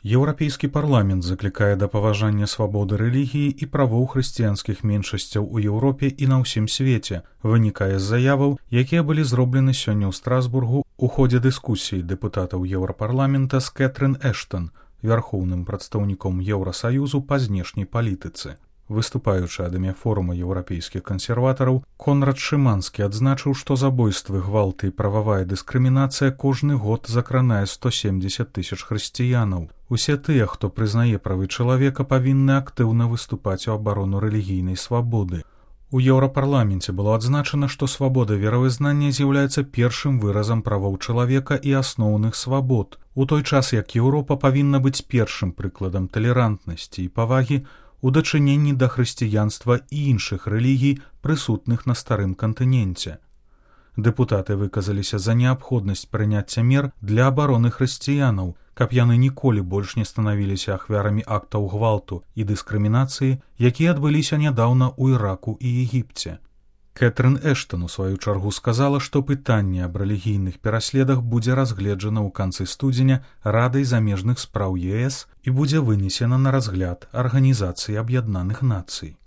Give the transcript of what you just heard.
Еўрапейскі парламент заклікае да паважання свабоды рэлігіі і правоў хрысціянскіх меншасцяў у Еўропе і на ўсім свеце, вынікае з заяваў, якія былі зроблены сёння ў Страсбургу ў ходзе дыскусіі дэпутатаў Еўрапарламента з Кэтрын Эштон, вярхоўным прадстаўніком Еўрасаюзу па знешняй палітыцы. Выступаючы ад імя форума еўрапейскіх кансерватараў, Конрад Шыманскі адзначыў, што забойствы, гвалты і прававая дыскрымінацыя кожны год закранае 170 000 хрысціянаў. Усе тыя, хто прызнае правы чалавека, павінны актыўна выступаць у абарону рэлігійнай свабоды. У Еўрапарламенце было адзначана, што свабода веравызнання з'яўляецца першым выразам правоў чалавека і асноўных свабод, у той час як Еўропа павінна быць першым прыкладам талерантнасці і павагі у дачыненні да хрысціянства і іншых рэлігій, прысутных на старым кантыненце. Дэпутаты выказаліся за неабходнасць прыняцця мер для абароны хрысціянаў, каб яны ніколі больш не станавіліся ахвярамі актаў гвалту і дыскрымінацыі, якія адбыліся нядаўна ў Іраку і Егіпце. Кэтрын Эштон у сваю чаргу сказала, што пытанне аб рэлігійных пераследах будзе разгледжана ў канцы студзеня Радай замежных спраў ЕС і будзе вынесена на разгляд Арганізацыі Аб'яднаных Нацый.